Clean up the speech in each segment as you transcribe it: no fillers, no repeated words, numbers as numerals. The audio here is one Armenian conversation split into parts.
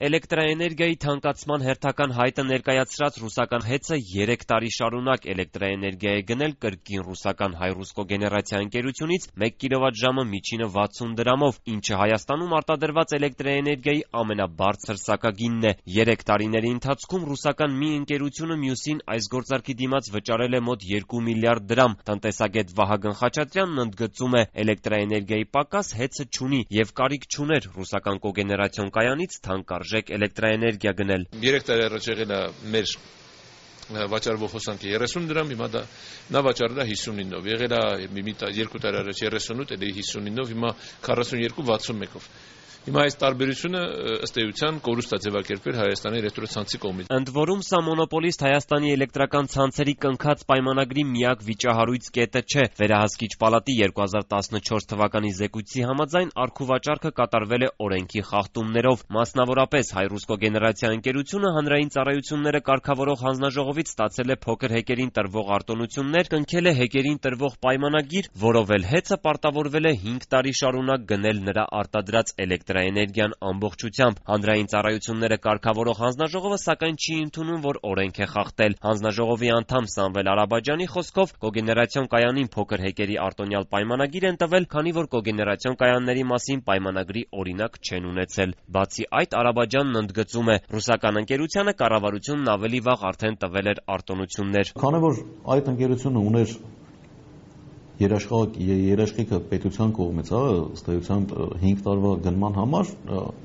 Էլեկտրաէներգիայի թանկացման հերթական հայտը ներկայացրած ռուսական ՀԵՑ-ը 3 տարի շարունակ էլեկտրաէներգիա է գնել կրկին ռուսական Հայ-Ռուսկո-գեներացիա ընկերությունից 1 կՎտ-ժամը միջինը 60 դրամով, ինչը Հայաստանում արտադրված էլեկտրաէներգիայի ամենաբարձր սակագինն է։ 3 տարիների ընթացքում ռուսական մի ընկերությունը մյուսին այս գործարքի դիմաց վճարել է մոտ 2 միլիարդ դրամ։ Տնտեսագետ Վահագն Խաչատրյանն ընդգծում է, էլեկտրաէներգիայի պակաս ՀԵՑ-ը չունի եւ կարիք չուներ ռուսական կոգեներացիոն կայանից թանկարժեք էլեկտրաէներգիա գնել։ 3 տարի առաջ եղել է մեր վաճառվող հոսանքը 30 դրամ, հիմա նա վաճառել է 59-ով, եղել է 2 տարի առաջ 38, էլի 59-ով, հիմա 42-61-ով։ Հիմա այս տարբերությունը ըստ էության կորուստ է ձևակերպել Հայաստանի էլեկտրոցանցի կողմից։ Ընդ որում, սա մոնոպոլիստ Հայաստանի էլեկտրական ցանցերի կնքած պայմանագրի միակ վիճահարույց կետը չէ։ Վերահսկիչ պալատի 2014 թվականի զեկույցի համաձայն առքուվաճառքը կատարվել է օրենքի խախտումներով։ Մասնավորապես Հայ-Ռուսկո-գեներացիա ընկերությունը հանրային ծառայությունները կարգավորող հանձնաժողովից ստացել է փոքր հեկերին տրվող արտոնություններ, կնքել է հեկերին տրվող պայմանագիր, որով էլ ՀԵՑ-ը պարտավորվել է 5 տարի շարունակ գնել նրա արտադրած էլեկտրաէներգիան ամբողջությամբ։ Հանրային ծառայությունները կարգավորող հանձնաժողովը սակայն չի ընդունում, որ օրենք է խախտել։ Հանձնաժողովի անդամ Սամվել Արաբաջյանի խոսքով կոգեներացիոն կայանին փոքր հեկերի արտոնյալ պայմանագիր են տվել, քանի որ կոգեներացիոն կայանների մասին պայմանագրի օրինակ չեն ունեցել։ Բացի այդ, Արաբաջյանն ընդգծում է, ռուսական ընկերությանը կառավարությունն ավելի վաղ արդեն տվել էր արտոնություններ։ Քանի որ այդ ընկերությունը ուներ երաշխիքը պետության կողմից, ըստ էության 5 տարվա գնման համար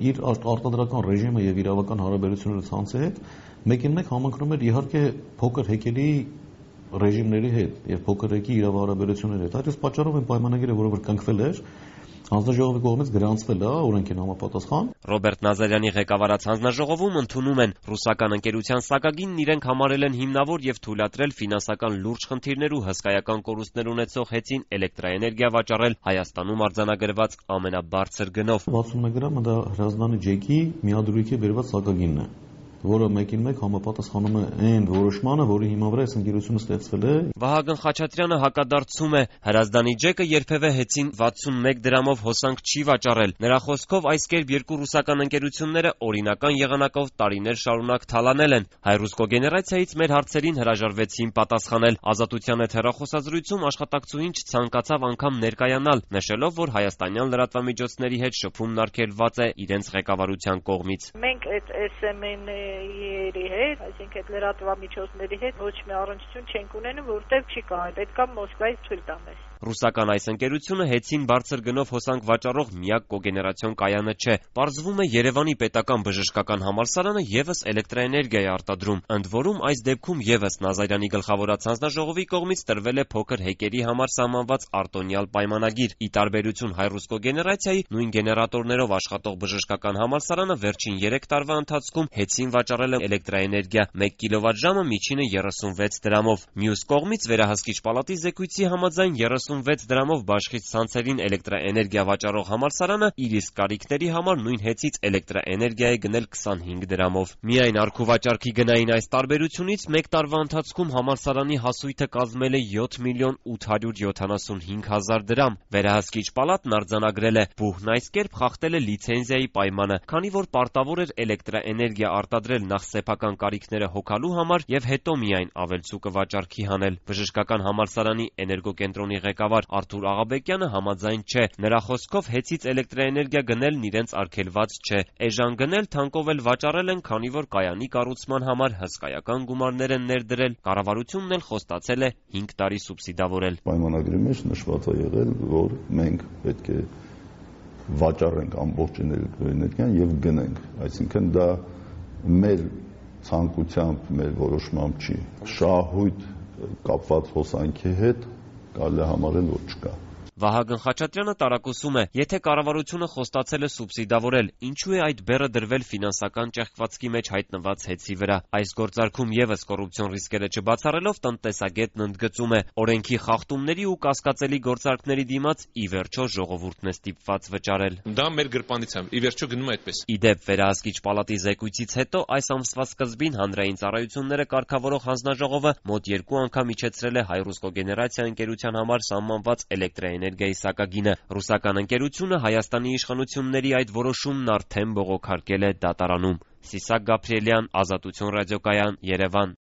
իր արտադրական ռեժիմը եւ իրավական հարաբերությունները ցանցի հետ մեկին մեկ համընկնում էր իհարկե փոքր հեկերի ռեժիմների հետ եւ փոքր հեկի իրավահարաբերությունների հետ։ Այդ պատճառով այն պայմանագիրը, որը որ կնքվել էր, հանձնաժողովի կողմից գրանցվել է օրենքին համապատասխան։ Ռոբերտ Նազարյանի ղեկավարած հանձնաժողովում ընդունում են ռուսական ընկերության սակագինն իրենք համարել են հիմնավոր եւ թույլատրել ֆինանսական լուրջ խնդիրներ ու հսկայական կորուստներ ունեցող ՀԵՑ-ին էլեկտրաէներգիա վաճառել Հայաստանում արձանագրված ամենաբարձր գնով։ 61 գրամը դա Հրազդանի ջեկի միադրույքի բերված սակագինն է, որը մեկին մեկ համապատասխանում է այն որոշմանը, որի հիման վրա այս ընկերությունը ստեղծվել է։ Վահագն Խաչատրյանը հակադարձում է, Հրազդանի ջեկը երբևէ ՀԵՑ-ին 61 դրամով հոսանք չի վաճառել։ Նրա խոսքով այս կերպ երկու ռուսական ընկերությունները օրինական եղանակով տարիներ շարունակ թալանել են։ Հայ-Ռուսկո-գեներացիայից մեր հարցերին հրաժարվեցին պատասխանել։ Ազատության հետ հեռախոսազրույցում աշխատակցուհին չցանկացավ անգամ ներկայանալ, նշելով, որ հայաստանյան լրատվամիջոցների հետ շփումն արգելված է իրենց ղեկավարության կողմից։ Մենք այդ SMN-երի հետ, այսինքն այդ լրատվամիջոցների հետ ոչ մի առնչություն չենք ունենում, որտեղ չի կարող, պետք է Մոսկվայից թույլ տա մեզ։ Ռուսական այս ընկերությունը ՀԵՑ-ին բարձր գնով հոսանք վաճառող միակ կոգեներացիոն կայանը չէ։ Պարզվում է Երևանի պետական բժշկական համալսարանը եւս էլեկտրաէներգիա է արտադրում։ Ընդ որում այս դեպքում եւս Նազարյանի գլխավորած հանձնաժողովի կողմից տրվել է փոքր հեկերի համար սահմանված արտոնյալ պայմանագիր։ Ի տարբերություն Հայ-Ռուսկո-գեներացիայի նույն գեներատորներով աշխատող բժշկական համալսարանը վերջին 3 տարվա ընթացքում ՀԵՑ-ին վաճառել է էլեկտրաէներգիա 1 կՎտ-ժամը միջինը 36 դրամով։ Մյուս կողմից Վերահսկիչ պալատի զեկույցի համաձայն 36 դրամով բաշխից ցանցերին էլեկտրաէներգիա վաճառող համալսարանը իր իսկ կարիքների համար նույն ՀԵՑ-ից էլեկտրաէներգիա է գնել 25 դրամով։ Միայն առքուվաճառքի գնային այս տարբերությունից 1 տարվա ընթացքում համալսարանի հասույթը կազմել է 7 միլիոն 875 հազար դրամ։ Վերահսկիչ պալատն արձանագրել է, բուհն այս կերպ խախտել է լիցենզիայի պայմանը, քանի որ պարտավոր էր էլեկտրաէներգիա արտադրել նախ սեփական կարիքները հոգալու համար եւ հետո միայն ավելցուկը վաճառքի հանել։ Բժշկական համալսարանի էներգոկենտրոնի ղեկավար Արթուր Աղաբեկյանը համաձայն չէ։ Նրա խոսքով ՀԵՑ-ից էլեկտրաէներգիա գնելն իրենց արգելված չէ։ Էժան գնել, թանկով էլ վաճառել են, քանի որ կայանի կառուցման համար հսկայական գումարներ են ներդրել։ Կառավարությունն էլ խոստացել է 5 տարի սուբսիդավորել։ Պայմանագրի մեջ նշված է եղել, որ մենք պետք է վաճառենք ամբողջ էներգիան եւ գնենք, այսինքն դա մեր ցանկությամբ, մեր որոշմամբ չի։ Շահույթ կապված հոսանքի հետ կարելի է համարել, որ չկա։ Վահագն Խաչատրյանը տարակուսում է, եթե կառավարությունը խոստացել է սուբսիդավորել, ինչու է այդ բեռը դրվել ֆինանսական ճեղքվածքի մեջ հայտնված ՀԵՑ-ի վրա։ Այս գործարքում եւս կոռուպցիոն ռիսկերը չբացառելով տնտեսագետն ընդգծում է, օրենքի խախտումների ու կասկածելի գործարքների դիմաց ի վերջո ժողովուրդն է ստիպված վճարել։ Դա մեր գրպանիցությամբ ի վերջո գնում է այդպես։ Ի դեպ, Վերահսկիչ պալատի զեկույցից հետո այս ամսվա սկզբին հանրային ծառայությունները կարգավորող հանձնաժողովը մոտ 2 անգամ իջեցրել է Հայ-Ռուսկո-գեներացիա ընկերության համար սահմանված էլեկտրաէներգիայի սակագինը։ Ռուսական ընկերությունը Հայաստանի իշխանությունների այդ որոշումն արդեն բողոքարկել է դատարանում։ Սիսակ Գաբրիելյան, Ազատություն ռադիոկայան, Երևան։